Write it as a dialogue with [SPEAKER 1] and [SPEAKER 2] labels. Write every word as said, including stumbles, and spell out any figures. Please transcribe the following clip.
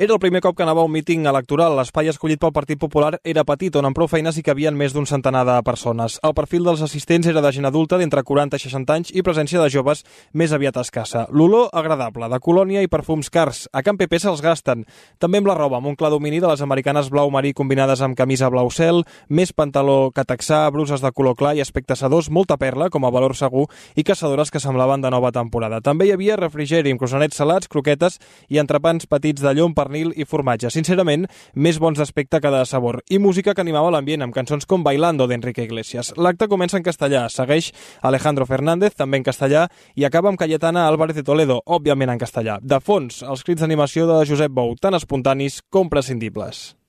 [SPEAKER 1] Era el primer cop que anava a un míting electoral. L'espai escollit pel Partit Popular era petit, on amb prou feines hi cabien més d'un centenar de persones. El perfil dels assistents era de gent adulta d'entre quaranta i seixanta anys i presència de joves més aviat escassa. L'olor agradable, de colònia i perfums cars. A Can Pepe se'ls gasten. També amb la roba, amb un clar domini de les americanes blau marí combinades amb camisa blau cel, més pantaló que texà, bruses de color clar i aspecte sedós, molta perla, com a valor segur, i caçadores que semblaven de nova temporada. També hi havia refrigeri amb croissants salats, croquetes i entrepans petits de llom, pernil i formatge. Sincerament, més bons d'aspecte que de sabor. I música que animava l'ambient, amb cançons com Bailando d'Enrique Iglesias. L'acte comença en castellà, segueix Alejandro Fernández, també en castellà, i acaba amb Cayetana Álvarez de Toledo, òbviament en castellà. De fons, els crits d'animació de Josep Bou, tan espontanis com prescindibles.